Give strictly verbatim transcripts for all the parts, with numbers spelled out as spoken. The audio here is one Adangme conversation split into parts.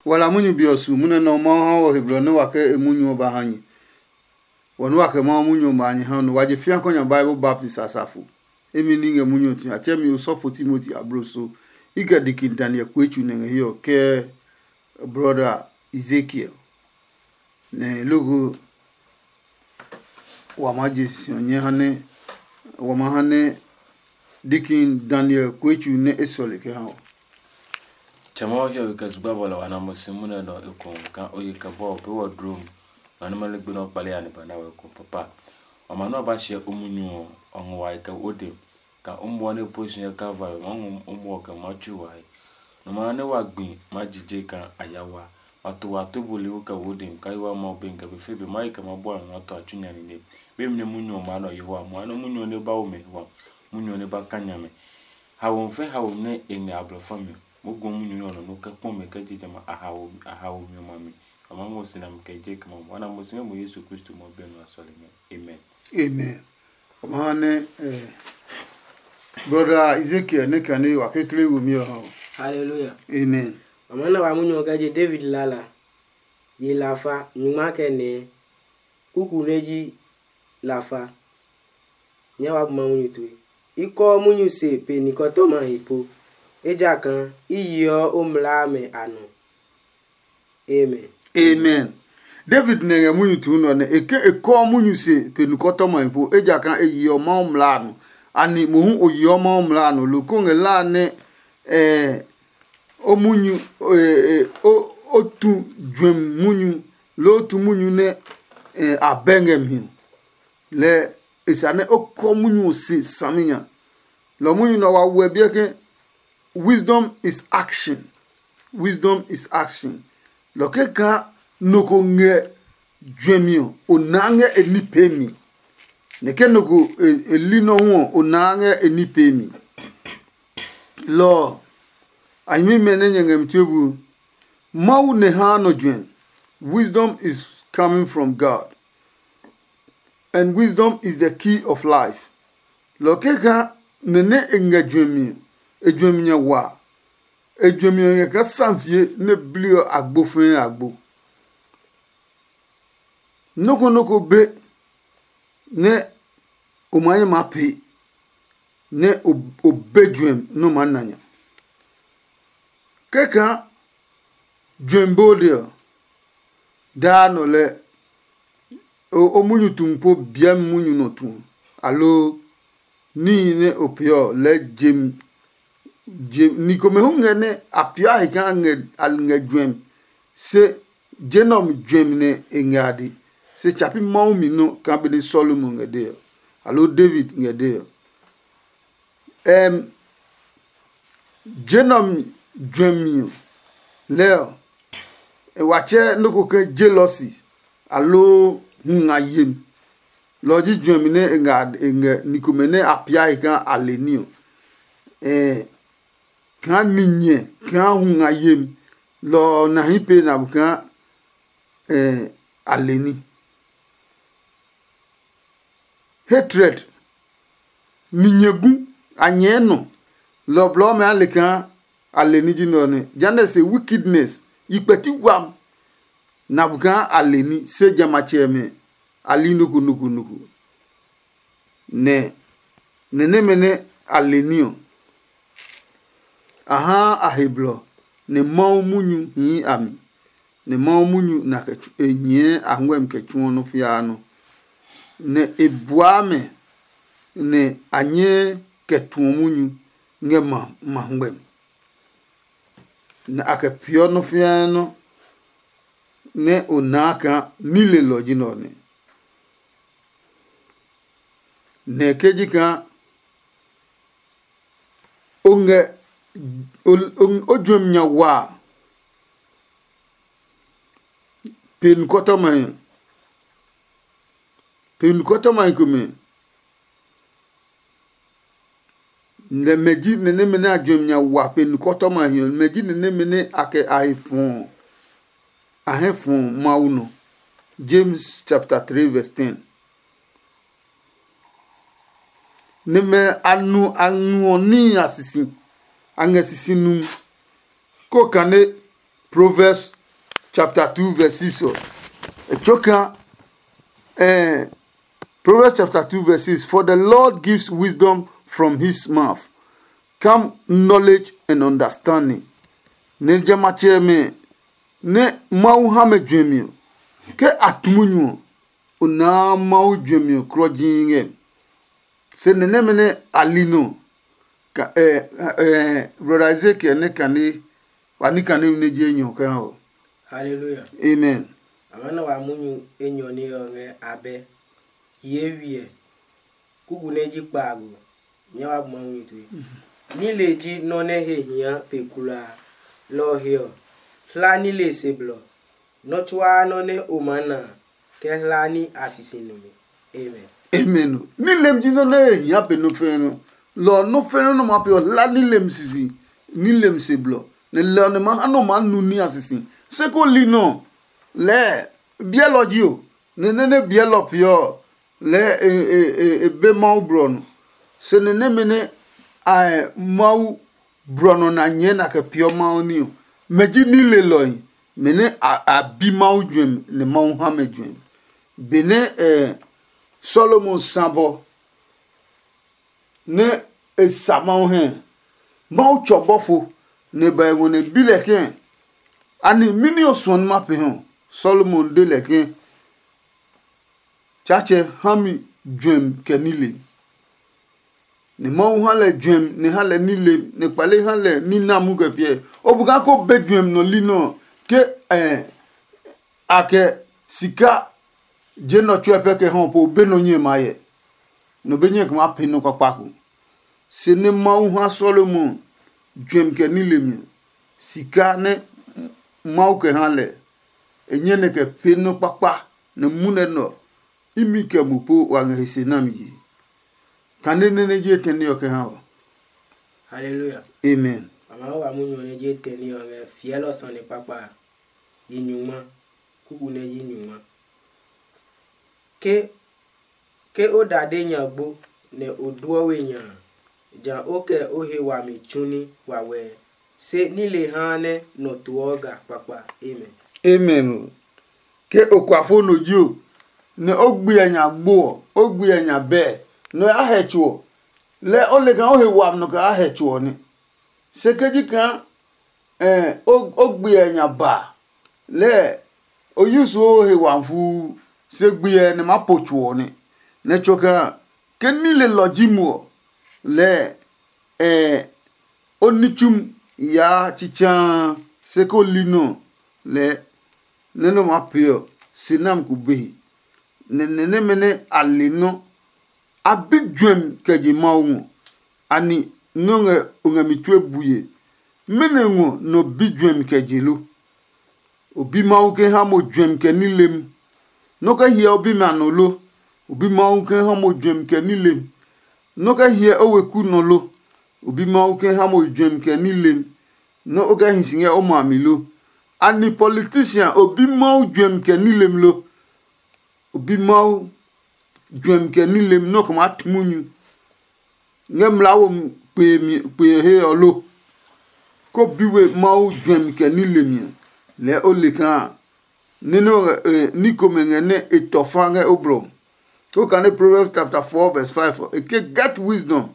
Wala munyu be ɔ su munɛ nɛ ɔ Mawu ha wɔ he blɔ nɛ wa kɛ e munyu ɔ ba ha nyɛ. Wɔ nɛ wa kɛ Mawu munyu ɔ ba nyɛ ha nɔ wa je fia kɔ nya Bible baptist asafo. Emi ní ngɛ munyu ɔ tue a tsɛ mi osɔfo Timoti ablo so. I kɛ dikin Daniel kuetsu nɛ ngɛ hiɛ ɔ kɛ brɔda Ezekiel. Nɛ loko wa maa je si ɔ nyɛ ha nɛ wa maa ha nɛ dikin Daniel kuetsu nɛ e sɔle kɛ ha ɔ. Tsɛ Mawu hiɔwe kɛ zugba bɔlɔ wa na mo si munɛ nɔ ekohu kaa o yi kɛ bɔ ɔ pee wɔ dlom. Nɔ nɛ ma ligbi nɛ o kpale ya ni ba na wɛ ko papa. Wa ma nɛ wa ba hyɛ o munyu ɔ, ɔ ngɔ wa yi kɛ o dem. Kaa o muɔ nɛ po si ngɛ Kalvari, ma ngɔ o muɔ kɛ ma tsu wa he. Nɔ ma nɛ wa gbi ma jije kaa a ya wa. Ma to wa to buli wo kɛ wo dem, kaa yi wa Mawu be ngɛ be fe be ma yi kɛ ma bua mi ma to a tsu nya nine. Be mi nɛ munyu ɔ ma nɔ Yehowa muɔ, nɛ munyu ɔ nɛ ba wo mɛ hwam, munyu ɔ nɛ ba ka nya mɛ. Haomi fɛ haomi nɛ e ngɛ a blɔ fa mi ɔ, moo gɔ munyu nɛ ɔ nɔ nɔ kɛ kpɔ mɛ kɛ je jamɛ a haomi ɔ ma mi. A ma ngɔ si nami kɛ je kɛ ma mo. Ana mo si ngɛ mo Yesu Kristo mɔ bɛ nɔ a sɔle ngɛ. Amen. Amen. Ɔma ha nɛ eh, brother Ezekiel ne kane wa kekle wo mi ɔ ha. Hallelujah. Amen. Ɔma na wa munyu ɔ kɛ je David lala. Ye lafa nyuma kɛ nɛ kuku nɛ ji lafa. Nyɛ wa bu ma munyu tue. I kɔɔ munyu se pe nikɔtɔma he po, ejakaa i yeɔ o mlaa mɛ a nɔ. Amen. Amen. David nɛ ngɛ munyu tuu nɔ nɛ e ke e kɔɔ munyu se pe nikɔtɔma he po, ejakaa e yeɔ Mawu mlaa a nɔ. Ani mohu o yeɔ Mawu mlaa a nɔ lo ko ngɛ la nɛ eh, o munyu eh, eh, o, o tu juɛmi munyu loo o tu munyu nɛ eh, a bɛ ngɛ mi ɔ? Lɛ e sa nɛ o kɔ munyu ɔ se saminya. Lɔ munyu nɛ wa wɛ biɛ ke wisdom is action. Wisdom is action. Lɔ ke kaa nɔ ko ngɛ juɛmi ɔ o naa ngɛ e ní pee mi. Nɛ ke nɔ ko e li nɔ hu ɔ o naa ngɛ e ní pee mi. Lɔ ɔ a nyɛmimɛ nɛ nyɛ ngɛ mi tue bu. Mawu nɛ haa nɔ juɛmi. Wisdom is coming from God. And wisdom is the key of life. Lɔ keka nɛ nɛ e ngɛ juɛmi ɔ, e juɛmi nya wa. E juɛmi ɔ ngɛ kaa samfie nɛ bli ɔ agbo fɛɛ agbo. Nɔ́ ko nɔ́ ko be nɛ o maa nyɛ maa pee nɛ o be juɛmi nɛ o maa na nya. Kɛkaa juɛmi bode ɔ, daa nɔ lɛ o munyu tumi po biɛmi munyu nɔ tu, aloo níhi nɛ o pee ɔ lɛɛ jemi. Ni komɛ hu ngɛ nɛ a peeɔ a he kaa a ngɛ juɛmi, se je nɛ ɔ mi juɛmi nɛ e ngɛ a de. Se tsa pi Mawu mi nɔ kaa benɛ Salomo ngɛ dee ɔ, aloo David ngɛ dee ɔ. Ɛm, je nɛ ɔ mi juɛmi ɔ, lɛɛ ɔ, e wa tsɛ nɔ́ ko ke jealousy aloo hu nga yemi. Lɔ ɔ ji juɛmi nɛ e ngɛ e ngɛ ni komɛ nɛ a pia he kaa a le ní ɔ. Ɛɛ, kaa ni nyɛ kaa hu nga yemi, lɔ ɔ na hi pee na bu kaa ɛɛ a le ní. Hatred, ni nyɛ gu, a nyɛɛ nɔ, lɔ ɔ blɔɔ mɛ a le kaa a le ní ji nɛ ɔ nɛ. Jehanɛ se wickedness, yi kpɛti wam, na bu kaa a le ní, se jamɛ a tsɛmɛ a li noko noko noko. Nɛ nɛ nɛmɛ nɛ a le ní ɔ, a haa a he blɔ, nɛ Mawu munyu hii a mi, nɛ Mawu munyu na kɛ tsu- e nyɛɛ a huɛmi kɛ tsuɔ nɔ́ fiaa nɔ́. Nɛ e buaa mɛ, nɛ a nyɛɛ kɛ tuɔ munyu ngɛ ma ma huɛmi. Nɛ a kɛ peeɔ nɔ́ fiaa nɔ́ nɛ o naa kaa ní lelɔ ji nɛ ɔ nɛ. Nɛ ke ji kaa o ngɛ o juɛmi nya waa pe nukɔtɔmahi pe nukɔtɔmahi komɛ, nɛ mɛ ji nɛ nɛmɛ nɛ a juɛmi nya wa pe nukɔtɔmahi ɔ, mɛ ji nɛ nɛmɛ nɛ a kɛ a he fɔɔ a hɛ fɔɔ Mawu nɔ. James chapter three verse ten. Nɛmɛ a nu a nuɔ níhi a sisi, a ngɛ sisi numi, ko kane Proverbs chapter two verse six ɔ. E tso kaa, eh, Proverbs chapter two verse six, "For the Lord gives wisdom from his mouth, come knowledge and understanding." Nɛ jamɛ a tsɛmɛ nɛ Mawu ha mɛ juɛmi ɔ, ke a tu munyu ɔ, o naa Mawu juɛmi ɔ klɔji ngɛ. Se nɛ nɛmɛ nɛ a li nɔ, ka ɛ ɛ brɔda Ezekiel nɛ kane wa ní kane nɛ je enyɔ kɛ ha ɔ. Hallelujah. Amen. A ma nɔ wa munyu enyɔ ní ɔ ngɛ abɛ. Yee wiɛ. Kuku nɛ ji kpaago. Nyɛ wa bu Mawu mi tue. Nile ji nɔ́ nɛ he hia pe kulaa. Lɔ ɔ he ɔ, hla nile se blɔ. Nɔ́ tsuaa nɔ́ nɛ o maa na a, kɛ hla ní a sisi numi. Amen. Amen. Nilem ji nɔ́ nɛ he hia pe nɔ́ fɛɛ nɔ́. Lɔ ɔ nɔ́ fɛɛ nɔ́ nɛ ma pe ɔ hla nilem sisi, nilem se blɔ. Nɛ lɛ ɔ nɛ ma ha nɔ maa nu ní a sisi. Se ko li nɔ lɛɛ biɛlɔ ji o, nɛ nɛ nɛ biɛlɔ peeɔ ɔ, lɛɛ e e e e be Mawu blɔ nɔ. Se nɛ nɛmɛ nɛ a Mawu blɔ nɔ na nyɛɛ na kɛ peeɔ Mawu ní ɔ, mɛ ji nilelɔhi, mɛ nɛ a a bi Mawu juɛmi nɛ Mawu ha mɛ juɛmi. Benɛ ɛ Solomon sa bɔ nɛ e sa Mawu hɛ, Mawu tsɔ bɔfo nɛ e ba e ngɔ nɛ e bi lɛ kɛ̃, anɛ mɛni o suɔ nɛ ma pee hɔ? Solomon de lɛ ke, Tsaatsɛ ha mi juɛmi kɛ nilem. Nɛ Mawu ha lɛ juɛmi nɛ ha lɛ nilem nɛ kpale ha lɛ ní na mu kɛ piɛ. O bu kaa ko be juɛmi nɔ li nɔ ke a kɛ sika je nɔ tsuɛ pɛ kɛ hɔ po be nɔ nyɛ ma yɛ. Nɔ be nyɛ kɛ ma pee nɔ kpakpa ko. Se nɛ Mawu ha Solomon juɛmi kɛ nilem ɔ, sika nɛ Mawu kɛ ha lɛ, e nyɛ nɛ kɛ pee nɔ kpakpa nɛ munɛ nɛ ɔ, imi kɛ mo po wa ngɛ he se nami yi. Kane nɛ nɛ ji etɛ ní ɔ kɛ ha ɔ. Haleluya. Amen. Mama wa munyu ɔ nɛ ji etɛ ní ɔ ngɛ fiɛlɔ sane kpakpa a, yi nyungma, kuku nɛ yi nyungma. Ke ke o dade nya gbo, nɛ o duɔ we nya a, ja o kɛ o he wami tsu ní wawɛɛ, se ní le haa nɛ nɔ toɔ ga kpakpa. Amen. Amen. Ke o kuafo no ji o, nɛ o gbiɛ nya gbo ɔ, o gbiɛ nya bɛɛ, nɔ ya hɛ tso ɔ, lɛɛ o le kaa o he wami nɔ kɛ a hɛ tso ɔ nɛ. Se ke ji kaa o gbiɛ nya ba lɛɛ o yu suo o he wami fuu, se gbiɛ nɛ maa po tso ɔ nɛ. Nɛ tso kaa ke nilelɔ ji mo ɔ, lɛɛ o ní tsumi yaa tsitsaa se ko li nɔ lɛɛ nɛ nɔ maa pee ɔ, se nami ko be he. Nɛ nɛ nɛmɛ nɛ a le nɔ́ a bi juɛmi kɛ je Mawu ngɔ. Ani nɔ́ ngɛ o ngɛ mi tue bue? Mɛnɔ ngɔ nɔ bi juɛmi kɛ je lo? O bi Mawu ke ha mo juɛmi kɛ nilem? Nɔ́ kɛ hyɛ o bimɛ a nɔ lo? O bi Mawu ke ha mo juɛmi kɛ nilem? Nɔ́ kɛ hyɛ o weku nɔ lo? O bi Mawu ke ha mo juɛmi kɛ nilem? Nɔ́ o kɛ hi si ngɛ o ma mi lo? Ani politisian o bi Mawu juɛmi kɛ nilem lo? O bi Mawu juɛmi kɛ nilem nɔ́ ko maa tu munyu ngɛ mlaa wo kpe he ɔ lo? Ko bi we Mawu juɛmi kɛ nilemi ɔ, lɛɛ o le kaa ní komɛ ngɛ nɛ e tɔ fa ngɛ o blɔ. Ko kane Proverbs chapter four verse five ɔ, e ke, "Get wisdom,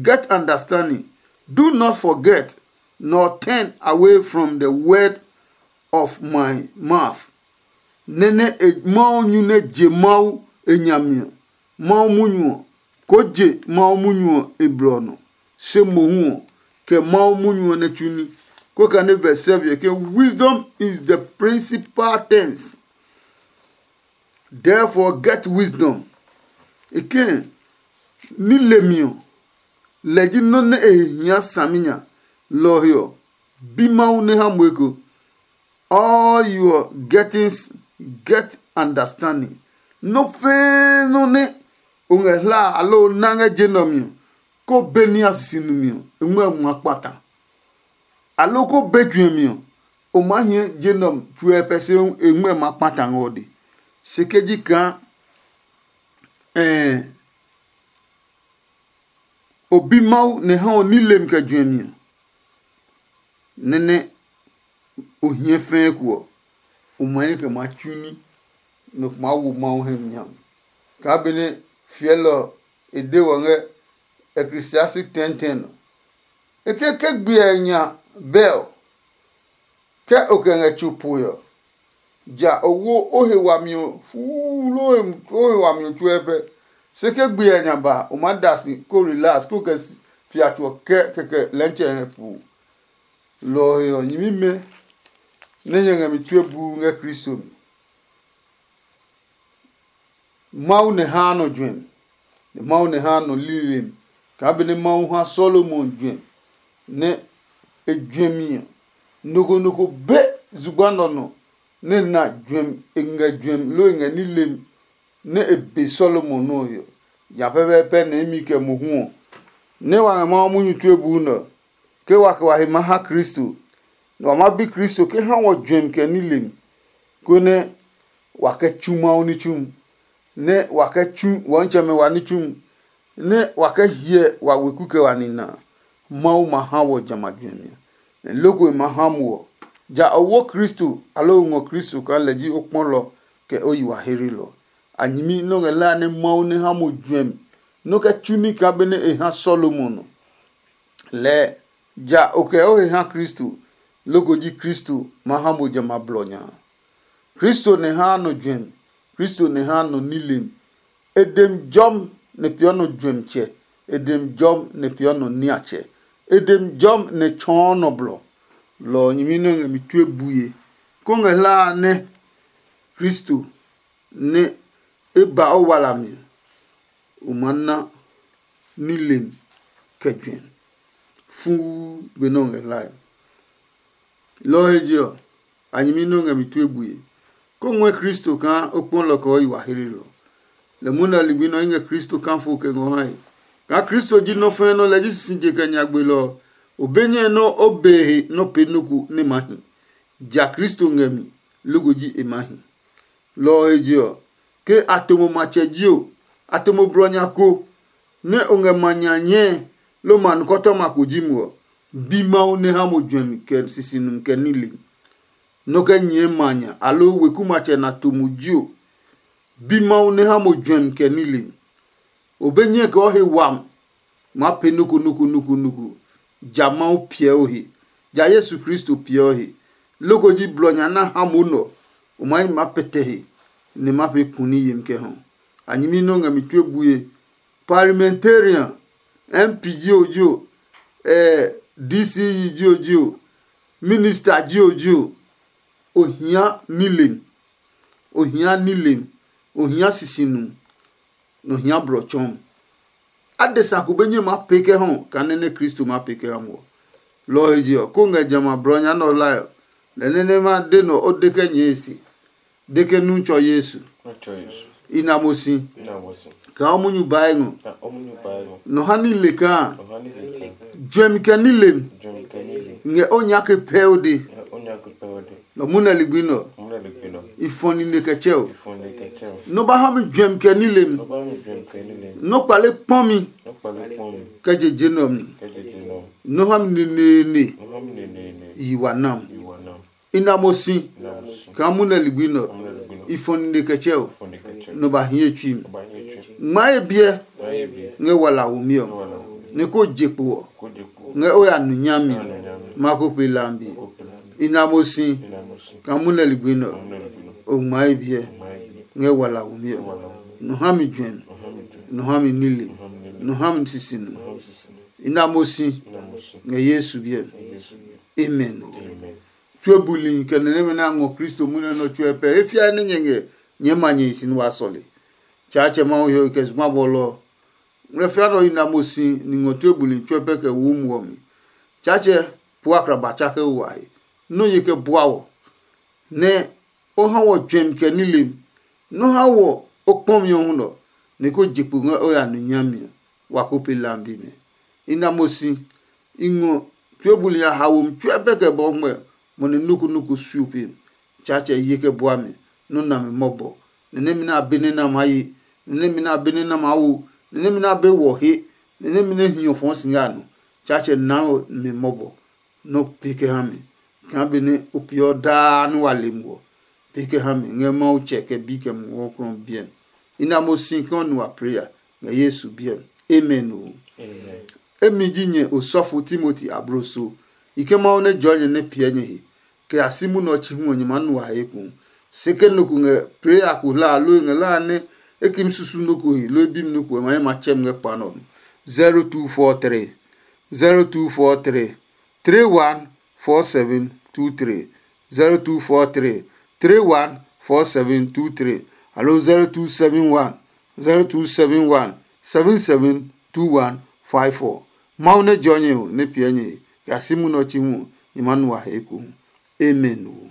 get understanding. Do not forget, nor turn away from the word of my mouth." Nɛ nɛ e Mawu nyu nɛ je Mawu e nya mi ɔ, Mawu munyu ɔ, koo je Mawu munyu ɔ e blɔ ɔ nɔ, se mohu ɔ, kɛ Mawu munyu ɔ nɛ tsu ní. Ko kane verse seven ɔ ke, "Wisdom is the principal things. Therefore get wisdom." E ke ní lemi ɔ, lɛ ji nɔ́ nɛ e he hia saminya. Lɔ ɔ he ɔ, bi Mawu nɛ ha mo eko. All your gettings, get understanding. Nɔ́ fɛɛ nɔ́ nɛ o ngɛ hla a aloo o na ngɛ je nɛ ɔ mi ɔ, ko be ní a sisi numi ɔ, e ngmɛ́ ma kpata. Aloo ko be juɛmi ɔ, o maa hiɛ je nɛ ɔ tsuɛ pɛ se e ngmɛ́ ma kpata ngɛ o de. Se ke ji kaa ɛɛ o bi Mawu nɛ ha o ní lemi kɛ juɛmi ɔ, nɛnɛ o hiɛ fɛɛ ko ɔ, o ma nyɛ kɛ maa tsu ní, nɔ ko maa wo Mawu hɛ mi ha mi. Kaa benɛ fiɛlɔ ɔ e de wɔ ngɛ Ecclesiastic ten ten ɔ, e ke ke gbe ɔ nya bɛ ɔ, ke o kɛ ngɛ tso poe ɔ, ja o wo o he wami ɔ fuuu loo o he wami ɔ tsuɛ pɛ. Se ke gbe ɔ nya ba, o maa da si ko relax ko kɛ fia tso ɔ kɛ kɛkɛ lɛntsɛ ngɛ puu. Lɔ ɔ he ɔ, nyɛmimɛ nɛ nyɛ ngɛ mi tue buu ngɛ Kristo mi. Mawu nɛ haa nɔ juɛmi, nɛ Mawu nɛ haa nɔ lilemi, kaa benɛ Mawu ha Solomon juɛmi, nɛ e juɛmi ɔ, nɔ ko nɔ ko be zugba nɔ nɔ nɛ na juɛmi, e ngɛ juɛmi loo e ngɛ nilemi nɛ e be Solomon nɔ́ ɔ he ɔ. Nya pɛpɛɛpɛ nɛ imi kɛ mohu ɔ, nɛ wa ngɛ Mawu munyu tue buu nɛ ɔ, ke wa kɛ wa he maa ha Kristo, nɛ wa maa bi Kristo ke ha wɔ juɛmi kɛ nilemi, konɛ wa kɛ tsu Mawu ní tsumi, nɛ wa kɛ tsu wɔ nitsɛmɛ wa ní tsumi, nɛ wa kɛ hyɛ wa weku kɛ wa nina a, Mawu ma ha wɔ jamɛ a juɛmi ɔ, nɛ loko e ma ha mo ɔ, ja o wo Kristo aloo o ngɔ Kristo kaa lɛ ji o kpɔlɔ kɛ o yi wa herilɔ. A nyɛmi nɔ́ ngɛ lɛ a nɛ Mawu nɛ ha mo juɛmi nɔ́ kɛ tsu ní kaa benɛ e ha Solomon ɔ. Lɛɛ ja o kɛ o he ha Kristo, loko ji Kristo ma ha mo jamɛ a blɔ nya a. Kristo nɛ haa nɔ juɛmi, Kristo nɛ haa nɔ nilem. E dem jɔmi nɛ peeɔ nɔ juɛmitsɛ, e dem jɔmi nɛ peeɔ nɔ niatsɛ, e dem jɔmi nɛ tsɔɔ nɔ blɔ. Lɔ ɔ nyɛmi nɛ ngɛ mi tue bue, kó ngɛ hlaa nɛ Kristo nɛ e ba o walami ɔ, o maa na nilem kɛ juɛ fuu benɛ o ngɛ hlae. Lɔ ɔ he je ɔ, a nyɛmi nɛ o ngɛ mi tue bue, kó ngɔɛ Kristo kaa o kpɔ lɔ kɛ o yi wa heelelɔ. Lɛ mohu nɛ a ligbi nɛ ɔ i ngɛ Kristo kafo kɛ ngɔ hae. Kaa Kristo ji nɔ́ fɛɛ nɔ́ lɛ ji sisije kɛ nyagbe lɔ ɔ, o be nyɛe nɔ́ o be he nɔ́ pee nɔ́ ko nɛ maa hi. Ja Kristo ngɛ mi, loko ji e maa hi. Lɔ ɔ he je ɔ, ke a to mo matsɛ jio, a to mo blɔ nya ko, nɛ o ngɛ ma nya nyɛe, loo ma nukɔtɔma ko ji mo ɔ, bi Mawu nɛ ha mo juɛmi kɛ sisi numi kɛ nile. Nɔ́ kɛ nyɛɛ ma nya aloo weku matsɛ na to mo jio, bi Mawu nɛ ha mo juɛmi kɛ nile. O be nyɛe kɛ o he wami maa pee nɔ́ ko nɔ́ ko nɔ́ ko nɔ́ ko. Ja Mawu piɛ o he, ja Yesu Kristo piɛ o he. Loko ji blɔ nya na ha mo nɔ, o maa yi maa pɛtɛ he, nɛ ma pee kuni yemi kɛ hɔ. A nyɛmi nɛ o ngɛ mi tue bue, parliamentarian, M P jio jio, eh, D C E jio jio, minister jio jio, o hia nilem, o hia nilem, o hia sisinu, nɛ o hia blɔ tsɔɔmi. Adesa ko be nyɛ maa pee kɛ hɔ kaa nɛ nɛ Kristo maa pee kɛ ha mo ɔ. Lɔ ɔ he je ɔ, ko ngɛ jamɛ a blɔ nya nɛ ɔ hlae ɔ, lɛ nɛ nɛ ma de nɔ o de kɛ nyɛɛ e se, de ke nu tsɔ Yesu. I na mo si kaa o munyu bae ngɔ. Nɔ ha ní le kaa juɛmi kɛ ní lemi ngɛ o nya ke pɛ o de. Nɔ mu nɛ ligbi nɔ i fɔ nine kɛ tsɛ o. Nɔ ba ha mi juɛmi kɛ ní lemi. Nɔ kpale kpɔ mi kɛ je je nɔ mi. Nɔ ha mi neneene yi wa nam. I na mo si kaa mu nɛ ligbi nɔ i fɔ nine kɛ tsɛ o. Nɔ ba hi e tsui mi. Ngma ye biɛ ngɛ wala womi ɔ, nɛ ko je kpo ɔ ngɛ o ya nu nyami ɔ, ma ko pe lambi. I na mo si kaa mu nɛ ligbi nɛ ɔ, o ngma ye biɛ ngɛ wala womi ɔ. Nɔ ha mi juɛmi, nɔ ha mi nile, nɔ ha mi sisinu. I na mo si ngɛ Yesu biɛ mi. Amen. Tue buli kɛ nɛ nɛmɛ nɛ a ngɔ Kristo munɛ nɔ tsuɛ pɛ. E fiae nɛ nyɛ ngɛ nyɛɛ ma nyɛ hi si nɛ wa sɔle. Tsaatsɛ Mawu he ɔ kɛ zugba bɔlɔ ɔ. Ngmlɛ fia nɛ ɔ yi na mo si ni ngɔ tue buli tsuɛ pɛ kɛ wu muɔ mi. Tsaatsɛ pua kraba tsake o wa he. Nɔ ye kɛ bua wɔ, nɛ o ha wɔ juɛmi kɛ nilem. Nɔ ha wɔ o kpɔmi ɔ huno, nɛ ko je kpo ngɛ o ya nu nyami ɔ, wa ko pe lambi mɛ. I na mo si, i ngɔ tue buli ya haomi tsuɛ pɛ kɛ bɔ ngmɛ, mo nɛ nukunuku su pe. Tsaatsɛ ye kɛ bua mi, nɔ na mi mɔbɔ. Nɛ nɛmɛ nɛ a be nɛ na maa ye, nɛ nɛmɛ nɛ a be nɛ na maa wo, nɛ nɛmɛ nɛ a be wɔ he, nɛ nɛmɛ nɛ hiɔ fɔɔ si ngɛ a nɔ. Tsaatsɛ naa mi mɔbɔ, nɔ pe kɛ ha mi. kaa benɛ o peeɔ daa nɛ wa le muɔ, pe kɛ ha mi ngɛ Mawu tsɛ kɛ bi kɛ muɔ ɔ krɔ biɛ mi. I na mo si kaa o nu wa pray a ngɛ Yesu biɛ mi. Amen o. Emi ji nyɛ osɔfo Timoti abloso. I ke Mawu nɛ jɔɔ nyɛ nɛ piɛ nyɛ he, kɛ ya si munɛ ɔ chi hu ɔ nyɛ maa nu wa he ekohu. Se ke nɔ ko ngɛ pray ko hla a loo e ngɛ la a nɛ e ki mi susu nɔ ko he loo e bi mi nɔ ko ɔ ma ye ma tsɛ mi ngɛ kpa nɛ ɔ mi. zero two four three zero two four three three one four seven two three zero two four three three one four seven two three aloo zero two seven one zero two seven one seven seven two one five four. Mawu nɛ jɔ nyɛ o nɛ piɛ nyɛ he kɛ a si munɛ ɔ chi hu nyɛ ma nu a he ekohu. Amen o.